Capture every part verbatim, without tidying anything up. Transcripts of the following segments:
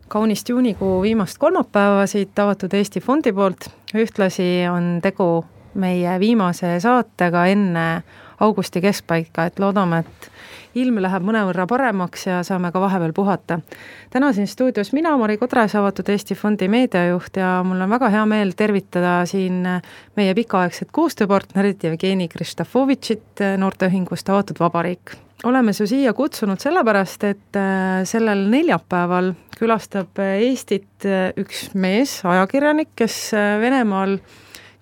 kaunist juunikuu viimast kolmapäeva siit avatud Eesti fondi poolt. Ühtlasi on tegu meie viimase saatega enne augusti keskpaika, et loodame, et ilm läheb mõnevõrra paremaks ja saame ka vahepeal puhata. Täna siin stuudios mina, Mari Kodres, avatud Eesti fondi meediajuht ja mul on väga hea meel tervitada siin meie pikaaegset koostööpartnerit Jevgeni Kristofovitšit noorteühingust Avatud Vabariik. Oleme su siia kutsunud sellepärast, et sellel neljapäeval külastab Eestit üks mees, ajakirjanik, kes Venemaal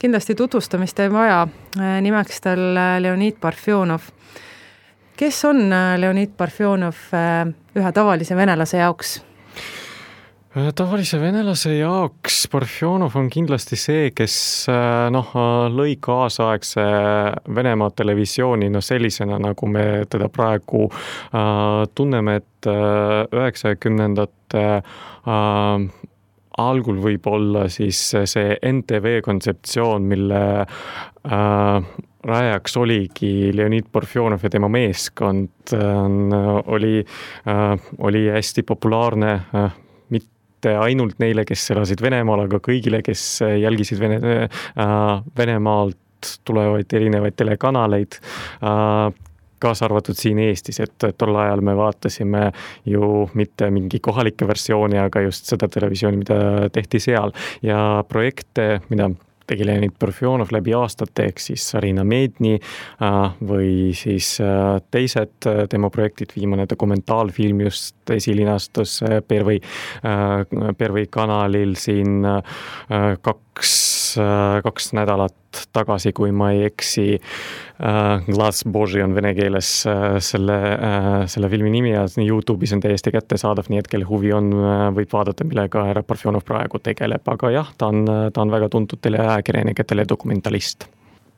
kindlasti tutvustamist ei vaja, nimeks tal Leonid Parfjonov. Kes on Leonid Parfjonov ühe tavalise venelase jaoks? Tavalise venelase jaoks Parfjonov on kindlasti see, kes noh, lõi kaasaegse Venemaa televisiooni no sellisena, nagu me teda praegu äh, tunneme, et üheksakümnendate äh, algul võib olla siis see N T V kontseptsioon, mille äh, rajaks oligi Leonid Parfjonov ja tema meeskond, äh, oli, äh, oli hästi populaarne äh, mitte ainult neile, kes elasid Venemaal, aga kõigile, kes jälgisid Vene, äh, Venemaalt tulevaid erinevaid telekanaleid, äh, kaasa arvatud siin Eestis, et tol ajal me vaatasime ju mitte mingi kohalike versiooni, aga just seda televisiooni, mida tehti seal. Ja projekte, mida tegi Leonid Parfjonov läbi aastate, ehk siis Sarina Medni või siis teised tema projektid, viimane dokumentaalfilm just esilinastus Pervõi, Pervõi kanalil siin kaks, kaks nädalat tagasi, kui ma ei eksi. Glas Boži on vene keeles selle, selle filmi nimi ja YouTube'is on täiesti kättesaadav, nii et kelle huvi on, võib vaadata, millega härra Parfjonov praegu tegeleb, aga jah, ta on, ta on väga tuntud teleajakirjanik ja teledokumentalist.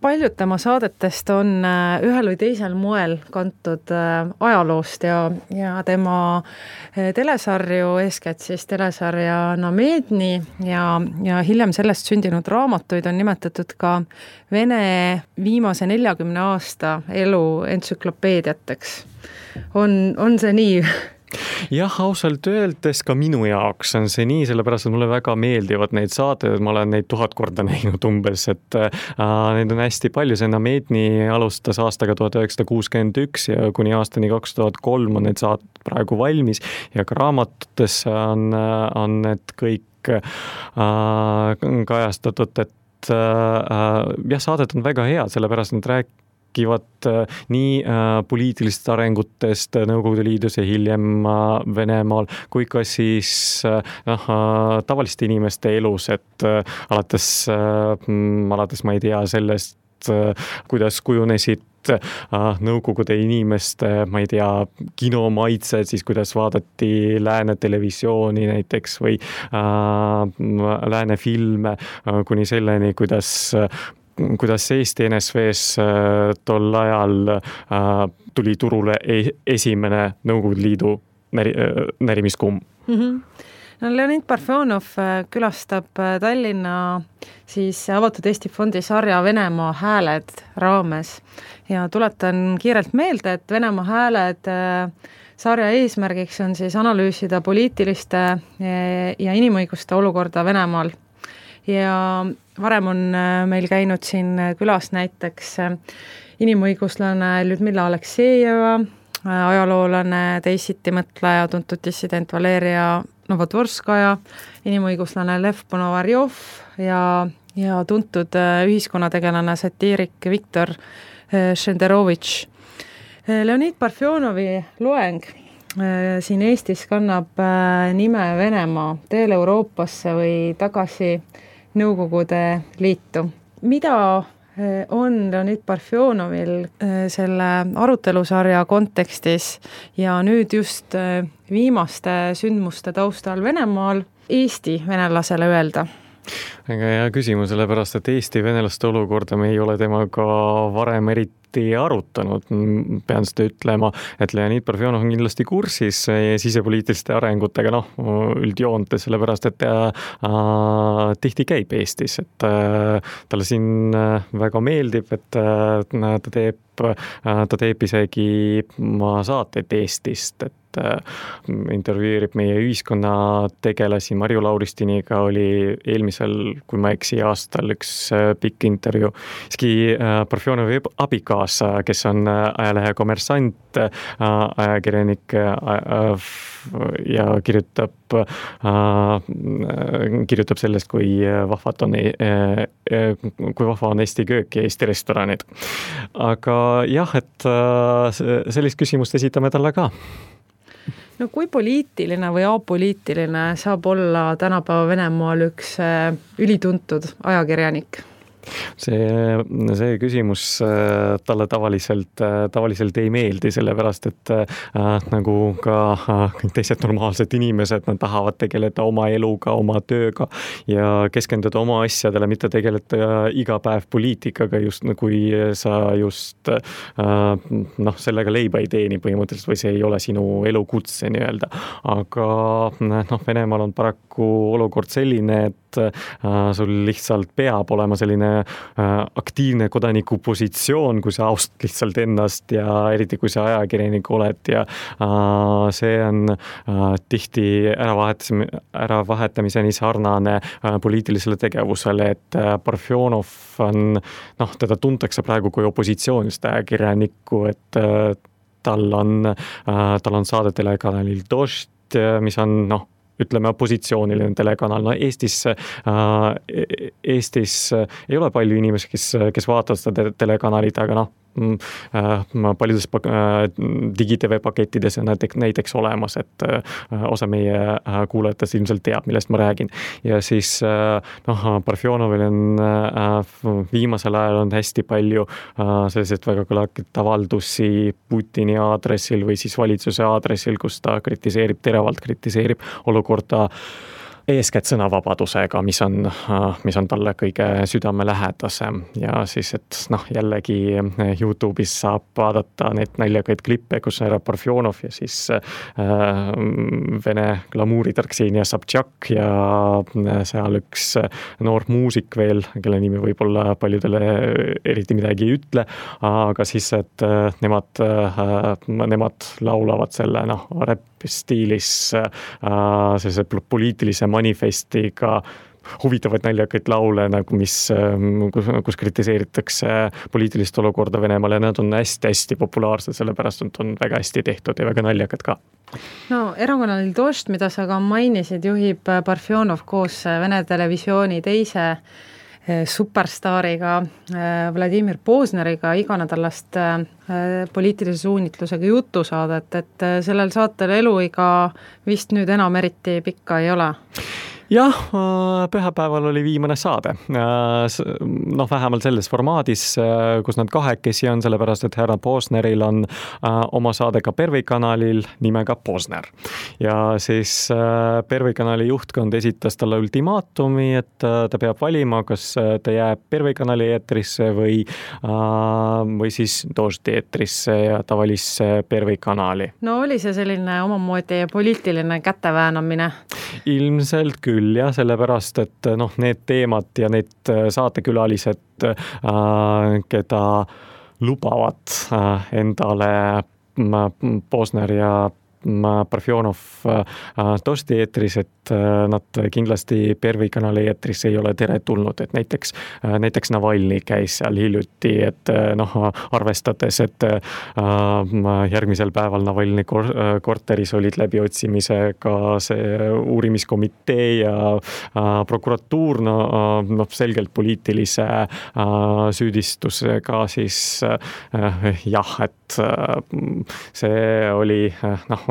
Paljud tema saadetest on ühel või teisel moel kantud ajaloost ja, ja tema telesarju, eeskätt siis telesarja Namedni ja, ja hiljem sellest sündinud raamatuid on nimetatud ka Vene viimase neljakümne aasta elu entsüklopeediateks. On, on see nii? Jah, ausalt öeldes ka minu jaoks on see nii, sellepärast, et mulle väga meeldivad neid saated, ma olen neid tuhat korda näinud umbes, et äh, neid on hästi palju, see Namedni alustas aastaga tuhat üheksasada kuuskümmend üks ja kuni aastani kaks tuhat kolm on need saated praegu valmis ja ka raamatutes on, on need kõik äh, kajastatud, et äh, jah, saadet on väga head, sellepärast nad rääk- kivad nii poliitilist arengutest Nõukogude Liidus ja hiljem Venemaal, kui ka siis noh, tavaliste inimeste elus, et alates, alates ma ei tea sellest, kuidas kujunesid Nõukogude inimeste, ma ei tea, kinomaitsed, siis kuidas vaadati lääne televisiooni näiteks või äh, lääne filme kuni selleni, kuidas kuidas Eesti N S V-s tol ajal tuli turule esimene Nõukogude Liidu näri, närimiskumm. Mm-hmm. No, Leonid Parfjonov külastab Tallinna siis avatud Eesti fondi sarja Venemaa hääled raames ja tuletan kiirelt meelde, et Venemaa hääled sarja eesmärgiks on siis analüüsida poliitiliste ja inimõiguste olukorda Venemaal. Ja varem on meil käinud siin külas näiteks inimõiguslane Ljudmila Aleksejeva, ajaloolane, teisiti mõtleja, tuntud dissident Valeria Novodvorskaja, inimõiguslane Lev Ponovarjov ja, ja tuntud ühiskonnategelane satiirik Viktor Šenderovitš. Leonid Parfjonovi loeng siin Eestis kannab nime Venemaa teel Euroopasse või tagasi Nõukogude Liitu. Mida on Leonid Parfjonovil selle arutelusarja kontekstis ja nüüd just viimaste sündmuste taustal Venemaal Eesti venelasele öelda? Väga hea küsimus, sellepärast, et Eesti venelaste olukorda me ei ole temaga varem eriti eriti arutanud, pean seda ütlema, et Leonid Parfjonov on kindlasti kursis sisepoliitiliste arengutega, noh, üldjoontes, sellepärast, et ta äh, tihti käib Eestis, et äh, talle siin väga meeldib, et äh, ta teeb ta teeb isegi saateid Eestist, et intervjueerib meie ühiskonna tegelasi. Marju Lauristiniga oli eelmisel, kui ma eksi, aastal üks pikk intervjuu. Iski Parfjonovi abikaasa, kes on ajalehe Kommersant, ajakirjanik ja kirjutab, kirjutab sellest, kui vahvad on, kui vahva on Eesti köök ja Eesti restoranid. Aga jah, et sellist küsimust esitame talle ka. No kui poliitiline või apoliitiline saab olla tänapäeva Venemaal üks ülituntud ajakirjanik? See, see küsimus talle tavaliselt, tavaliselt ei meeldi, sellepärast, et äh, nagu ka kõik teised normaalsed inimesed, nad tahavad tegeleda oma eluga, oma tööga ja keskenduda oma asjadele, mitte tegeleda iga päev poliitikaga, just kui sa just äh, noh, sellega leiba ei teeni põhimõtteliselt või see ei ole sinu elukutse nii-öelda. Aga noh, Venemaal on paraku olukord selline, et äh, sul lihtsalt peab olema selline aktiivne kodaniku positsioon, kui sa austad lihtsalt ennast ja eriti kui sa ajakirjanik oled ja äh, see on äh, tihti äravahetamiseni sarnane äh, poliitilisele tegevusele, et äh, Parfjonov on, noh, teda tuntakse praegu kui opositsioonist ajakirjanikku, et äh, tal on, äh, tal on saade telekanalil Dožd, mis on, noh, ütleme opositsiooniline telekanal. No Eestis, Eestis ei ole palju inimesi, kes, kes vaatavad seda telekanalit, aga noh, paljudes digi-tv pakettides on näiteks, näiteks olemas, et osa meie kuulajatest ilmselt teab, millest ma räägin. Ja siis noh, Parfjonovil on viimasel ajal on hästi palju selliseid väga kõlakit avaldusi Putini aadressil või siis valitsuse aadressil, kus ta kritiseerib, teravalt kritiseerib olukorda eeskätt sõnavabadusega, mis on, mis on talle kõige südamelähedasem ja siis, et noh, jällegi YouTube'is saab vaadata neid naljakaid klippe, kus on ära Parfjonov ja siis äh, Vene glamuuritar Ksenia Sobtšak ja seal üks noor muusik veel, kelle nimi võib-olla paljudele eriti midagi ei ütle, aga siis, et nemad, nemad laulavad selle, noh, räpp stiilis äh, sellise poliitilise manifestiga huvitavaid naljakaid laule, nagu mis, kus, kus kritiseeritakse poliitilist olukorda Venemaal ja nad on hästi-hästi populaarsed, sellepärast on väga hästi tehtud ja väga naljakad ka. No erakonalil Dožd, mida sa ka mainisid, juhib Parfjonov koos Vene televisiooni teise superstaariga Vladimir Pozneriga iganädalast poliitilise suunitlusega jutusaadet, et sellel saatel eluiga vist nüüd enam eriti pikka ei ole. Jah, pühapäeval oli viimane saade. Noh, vähemalt selles formaadis, kus nad kahekesi on, sellepärast, et härra Pozneril on oma saade ka Pervi kanalil nimega Pozner. Ja siis Pervi kanali juhtkond esitas talle ultimaatumi, et ta peab valima, kas ta jääb Pervi kanali eetrisse või, või siis Doždi eetrisse ja ta valis Pervi kanali. No oli see selline omamoodi poliitiline käteväänamine? Ilmselt küll, jah, sellepärast, et noh, need teemad ja need saatekülalised, keda lubavad endale Pozner ja Parfjonov Doždi eetris, et nad kindlasti Pervi kanali eetris ei ole tere tulnud, et näiteks, näiteks Navalny käis seal hiljuti, et noh, arvestades, et järgmisel päeval Navalny korteris olid läbiotsimisega see uurimiskomitee ja prokuratuur, no, no selgelt poliitilise süüdistusega, siis jah, et see oli noh,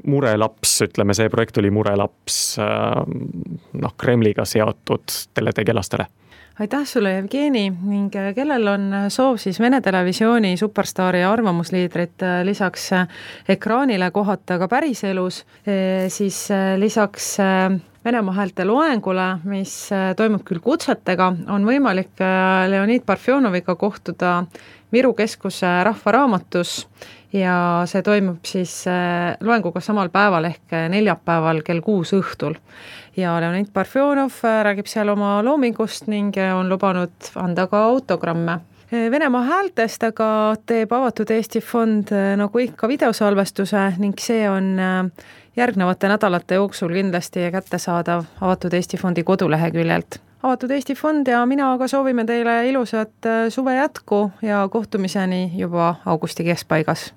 murelaps, ütleme, see projekt oli murelaps noh, Kremliga seotud teletegelastele. Aitäh sulle, Jevgeni, ning kellel on soov siis Vene televisiooni superstaari arvamusliidrit lisaks ekraanile kohata ka päriselus, siis lisaks Venemaa häälte loengule, mis toimub küll kutsetega, on võimalik Leonid Parfjonoviga kohtuda Viru keskuse Rahvaraamatus ja see toimub siis loenguga samal päeval ehk neljapäeval kell kuus õhtul. Ja Leonid Parfjonov räägib seal oma loomingust ning on lubanud anda ka autogramme. Venemaa häältest aga teeb Avatud Eesti Fond nagu ikka videosalvestuse ning see on järgnevate nädalate jooksul kindlasti kättesaadav Avatud Eesti Fondi koduleheküljelt. Avatud Eesti Fond ja mina aga soovime teile ilusat suve jätku ja kohtumiseni juba augusti keskpaigas.